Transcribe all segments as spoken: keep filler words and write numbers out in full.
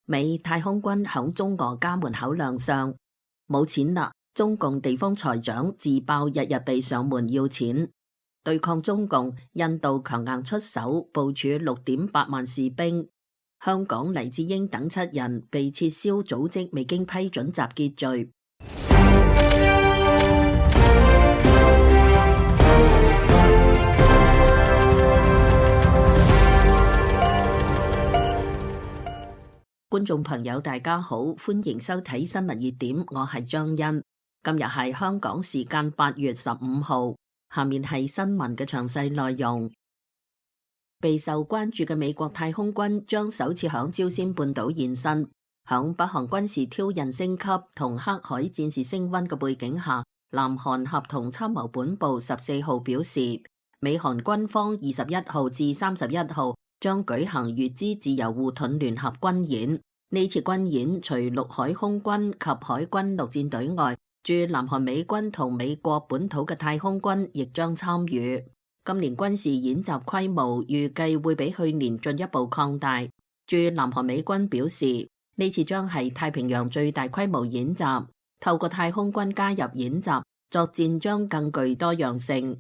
美太空軍響中俄家門口亮相，冇錢啦！中共地方財長自爆日日被上門要錢，對抗中共，印度強硬出手，部署六點八萬士兵。香港黎智英等七人被撤銷組織未經批准集結罪。觀眾朋友大家好，歡迎收睇新聞熱點，我係張欣。今日係香港時間八月十五號，下面係新聞嘅詳細內容。備受關注嘅美國太空軍將首次響朝鮮半島現身，響北韓軍事挑釁升級同黑海戰事升溫嘅背景下，南韓合同參謀本部十四號表示，美韓軍方二十一號至三十一號將舉行乙支自由護盾聯合軍演。呢次軍演除陸海空軍及海軍陸戰隊外，駐南韓美軍同美國本土嘅太空軍亦將參與。今年軍事演習規模預計會比去年進一步擴大。駐南韓美軍表示，呢次將係太平洋最大規模演習，透過太空軍加入演習，作戰將更具多樣性。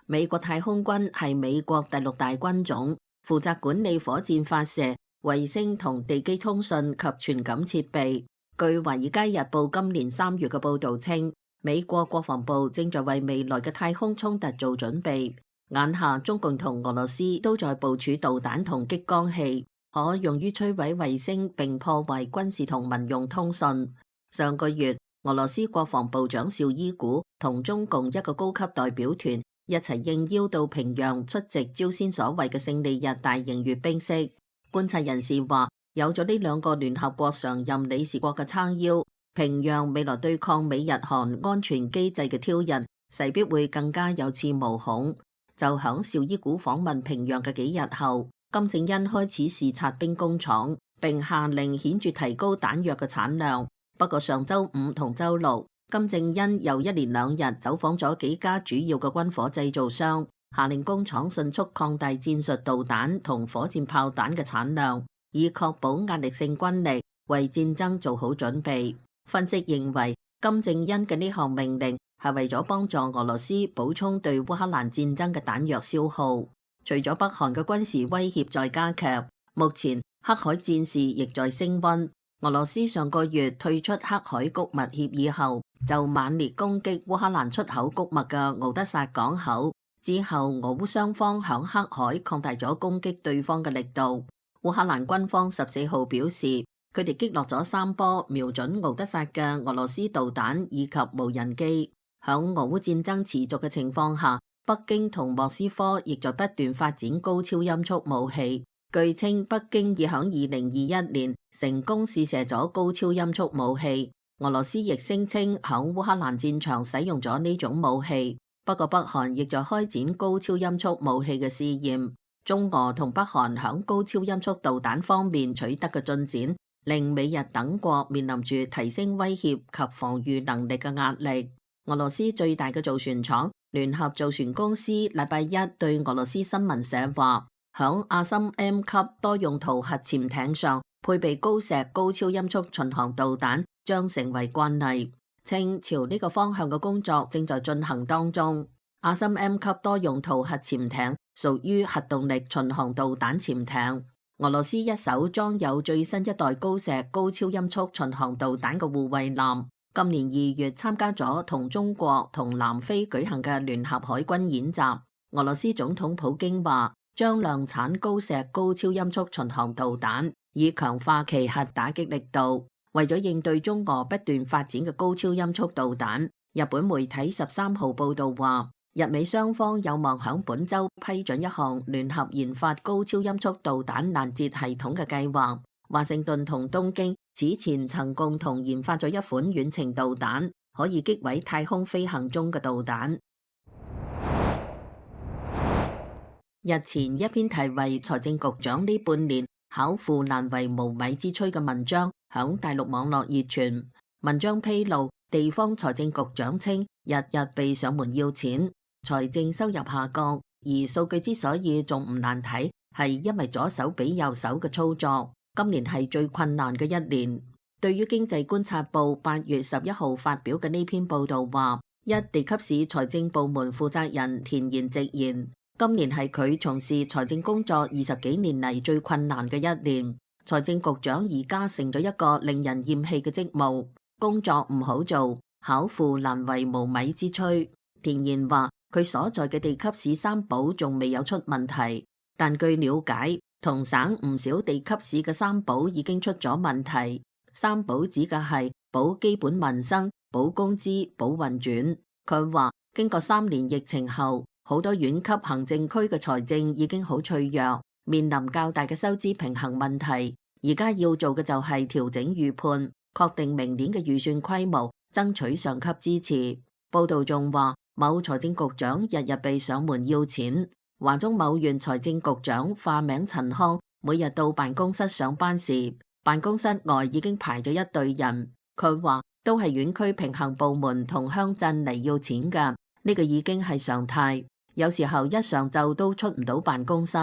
美國太空軍係美國第六大軍種，負責管理火箭發射、衛星同地基通訊及傳感設備。據《華爾街日報》今年三月嘅報道稱，美國國防部正在為未來嘅太空衝突做準備。眼下中共同俄羅斯都在部署導彈同激光器，可用於摧毀衛星並破壞軍事同民用通訊。上個月，俄羅斯國防部長紹伊古同中共一個高級代表團一齊應邀到平壤出席朝鮮所謂嘅勝利日大型閱兵式。觀察人士話，有咗呢兩個聯合國常任理事國嘅撐腰，平壤未來對抗美日韓安全機制嘅挑釁，勢必會更加有恃無恐。就響紹伊古訪問平壤嘅幾日後，金正恩開始視察兵工廠，並下令顯著提高彈藥嘅產量。不過上周五同周六，金正恩又一連兩日走訪咗幾家主要嘅軍火製造商，下令工廠迅速擴大戰術導彈同火箭炮彈嘅產量，以確保壓力性軍力，為戰爭做好準備。分析認為，金正恩嘅呢項命令係為咗幫助俄羅斯補充對烏克蘭戰爭嘅彈藥消耗。除咗北韓嘅軍事威脅在加劇，目前黑海戰事亦在升溫。俄羅斯上個月退出黑海谷物協議後，就猛烈攻擊烏克蘭出口谷物嘅敖德薩港口。之後，俄烏雙方響黑海擴大咗攻擊對方嘅力度。烏克蘭軍方十四號表示，佢哋擊落咗三波瞄準敖德薩嘅俄羅斯導彈以及無人機。響俄烏戰爭持續嘅情況下，北京同莫斯科亦在不斷發展高超音速武器。據稱，北京已響二零二一年成功試射咗高超音速武器。俄羅斯亦聲稱響烏克蘭戰場使用咗呢種武器。不過北韓亦在開展高超音速武器嘅試驗。中俄同北韓響高超音速導彈方面取得嘅進展，令美日等國面臨住提升威脅及防禦能力嘅壓力。俄羅斯最大嘅造船廠聯合造船公司禮拜一對俄羅斯新聞社話，響阿森 M 級多用途核潛艇上配備鋯石高超音速巡航導彈將成為慣例，稱朝呢個方向嘅工作正在進行當中。阿森 M 級多用途核潛艇屬於核動力巡航導彈潛艇。俄羅斯一艘裝有最新一代鋯石高超音速巡航導彈嘅護衛艦，今年二月參加咗同中國同南非舉行嘅聯合海軍演習。俄羅斯總統普京話，將量產鋯石高超音速巡航導彈，以強化其核打擊力度。為咗應對中俄不斷發展嘅高超音速導彈，日本媒體十三號報道話，日美雙方有望響本週批准一項聯合研發高超音速導彈攔截系統嘅計劃。華盛頓同東京此前曾共同研發咗一款遠程導彈，可以擊毀太空飛行中嘅導彈。日前一篇題為《財政局長呢半年巧婦難為無米之炊》嘅文章響大陸網絡熱傳。文章披露，地方財政局長稱日日被上門要錢，財政收入下降，而數據之所以仲唔難睇，係因為左手比右手嘅操作。今年係最困難嘅一年。對於經濟觀察報八月十一號發表嘅呢篇報導話，一地級市財政部門負責人田賢直言，今年係佢從事財政工作二十幾年嚟最困難嘅一年。財政局長而家成咗一個令人厭棄嘅職務，工作唔好做，巧婦難為無米之炊。田賢話佢所在嘅地級市三保仲未有出問題，但據了解，同省唔少地級市嘅三保已經出咗問題。三保指嘅係保基本民生、保工資、保運轉。佢話經過三年疫情後，好多縣級行政區嘅財政已經好脆弱，面臨較大嘅收支平衡問題。而家要做嘅就係調整預判，確定明年嘅預算規模，爭取上級支持。報道仲話，某財政局長日日被上門要錢。華中某縣財政局長化名陳康，每日到辦公室上班時，辦公室外已經排咗一隊人。佢話都係縣區平衡部門同鄉鎮嚟要錢㗎，呢個已經係常態。有時候一上晝都出唔到辦公室。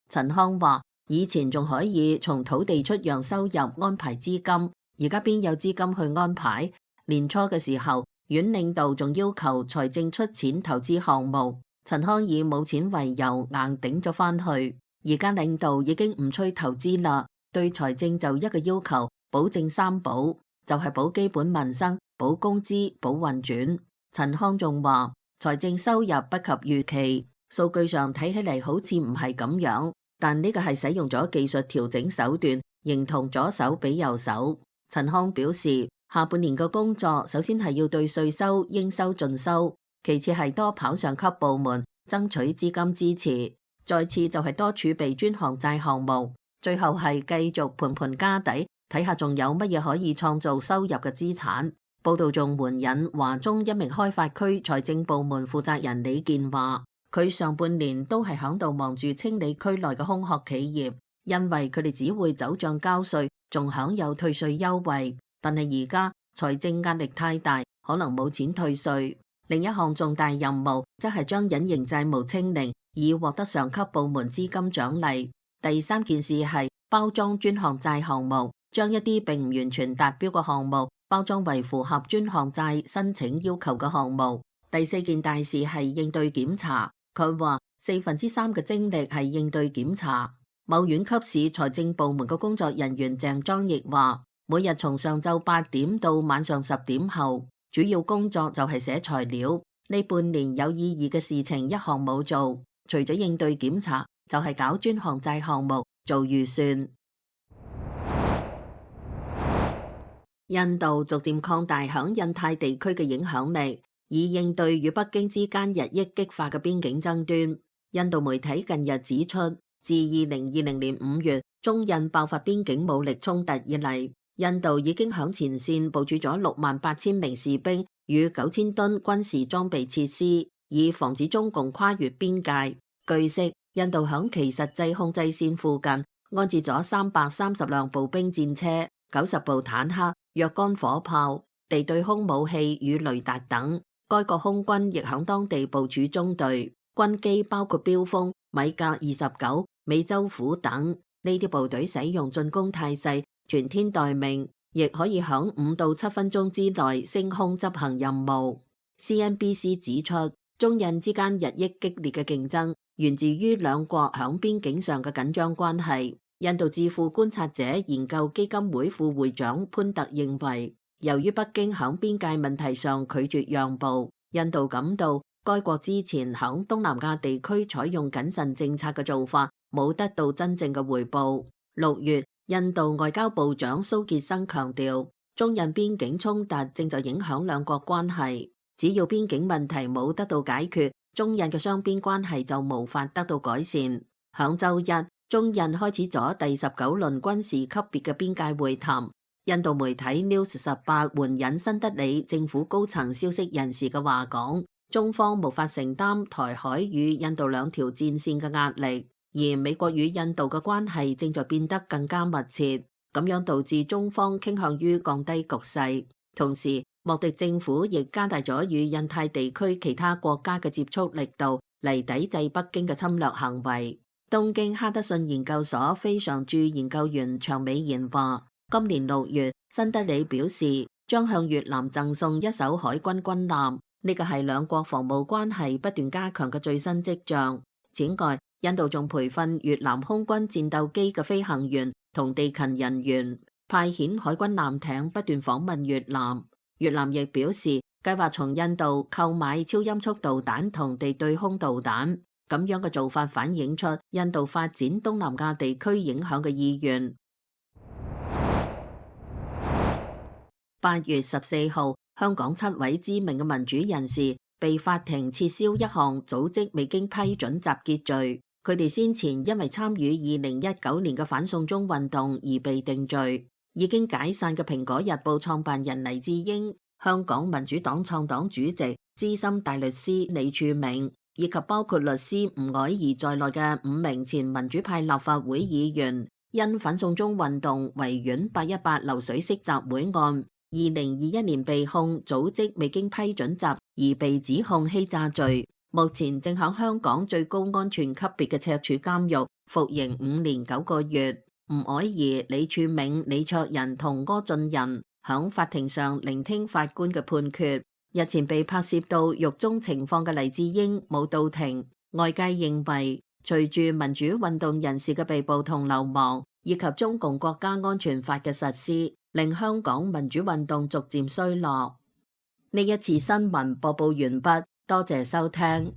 陳康話以前仲可以從土地出讓收入安排資金，而家邊有資金去安排？年初嘅時候，縣領導仲要求財政出錢投資項目，陳康以冇錢為由硬頂咗返去。而家領導已經唔催投資啦。對財政就一個要求，保證三保，就係保基本民生、保工資、保運轉。陳康仲話財政收入不及預期，數據上睇起嚟好似唔係咁樣，但呢個係使用咗技術調整手段，形同左手比右手。陳康表示，下半年嘅工作首先係要對稅收應收盡收，其次係多跑上級部門爭取資金支持，再次就係多儲備專項債項目。最後係繼續盤盤家底，睇下仲有乜嘢可以創造收入嘅資產。報道仲援引華中一名開發區財政部門負責人李健話，佢上半年都係響度忙住清理區內嘅空殼企業，因為佢哋只會走賬交稅，仲享有退稅優惠。但係而家財政壓力太大，可能冇錢退稅。另一項重大任務則係將隱形債務清零，以獲得上級部門資金獎勵。第三件事係包裝專項債項目，將一啲並唔完全達標嘅項目包裝為符合專項債申請要求嘅項目。第四件大事係應對檢查，佢話四分之三嘅精力係應對檢查。某縣級市財政部門嘅工作人員鄭莊亦話，每日從上晝八點到晚上十點後，主要工作就係寫材料。呢半年有意義嘅事情一項冇做，除咗應對檢查，就係搞專項債項目做預算。印度逐漸擴大響印太地區嘅影響力，以應對與北京之間日益激化嘅邊境爭端。印度媒體近日指出，自二零二零年五月中印爆發邊境武力衝突以嚟，印度已經響前線部署咗六萬八千名士兵與九千噸軍事裝備設施，以防止中共跨越邊界。據悉，印度響其實際控制線附近安置咗三百三十輛步兵戰車、九十部坦克、若干火炮、地對空武器與雷達等。該國空軍亦響當地部署中隊，軍機包括飆風、米格二十九、美洲虎等。呢啲部隊使用進攻態勢，全天待命，亦可以響五到七分鐘之內升空執行任務。C N B C 指出，中印之間日益激烈嘅競爭源自於兩國響邊境上嘅緊張關係。印度智庫觀察者研究基金會副會長潘特認為，由於北京響邊界問題上拒絕讓步，印度感到該國之前響東南亞地區採用謹慎政策嘅做法冇得到真正嘅回報。六月，印度外交部長蘇傑生強調，中印邊境衝突正在影響兩國關係，只要邊境問題冇得到解決，中印嘅雙邊關係就無法得到改善。響週一，中印開始咗第十九輪軍事級別嘅邊界會談。印度媒體 News 十八援引新德里政府高層消息人士嘅話講，中方無法承擔台海與印度兩條戰線嘅壓力，而美國與印度嘅關係正在變得更加密切，咁樣導致中方傾向於降低局勢。同時，莫迪政府亦加大咗與印太地區其他國家嘅接觸力度，嚟抵制北京嘅侵略行為。東京哈德遜研究所非常駐研究員長美賢話，今年六月，新德里表示將向越南贈送一艘海軍軍艦，呢個係兩國防務關係不斷加強嘅最新跡象。此外，印度仲培訓越南空軍戰鬥機嘅飛行員同地勤人員，派遣海軍艦艇不斷訪問越南。越南亦表示計劃從印度購買超音速導彈同地對空導彈，咁樣嘅做法反映出印度發展東南亞地區影響嘅意願。八月十四號，香港七位知名嘅民主人士被法庭撤銷一項組織未經批准集結罪。佢哋先前因為參與二零一九年嘅反送中運動而被定罪。已經解散嘅蘋果日報創辦人黎智英、香港民主黨創黨主席、資深大律師李柱銘，以及包括律師吳靄儀在內嘅五名前民主派立法會議員，因反送中運動維園八一八流水式集會案，二零二一年被控組織未經批准集而被指控欺詐罪。目前正響香港最高安全級別嘅赤柱監獄服刑五年九個月。吳靄儀、李柱銘、李卓人同柯俊仁響法庭上聆聽法官嘅判決。日前被拍攝到獄中情況嘅黎智英冇到庭，外界認為隨住民主運動人士嘅被捕同流亡，以及中共國家安全法嘅實施，令香港民主運動逐漸衰落。呢一次新聞播報完畢。多謝收聽。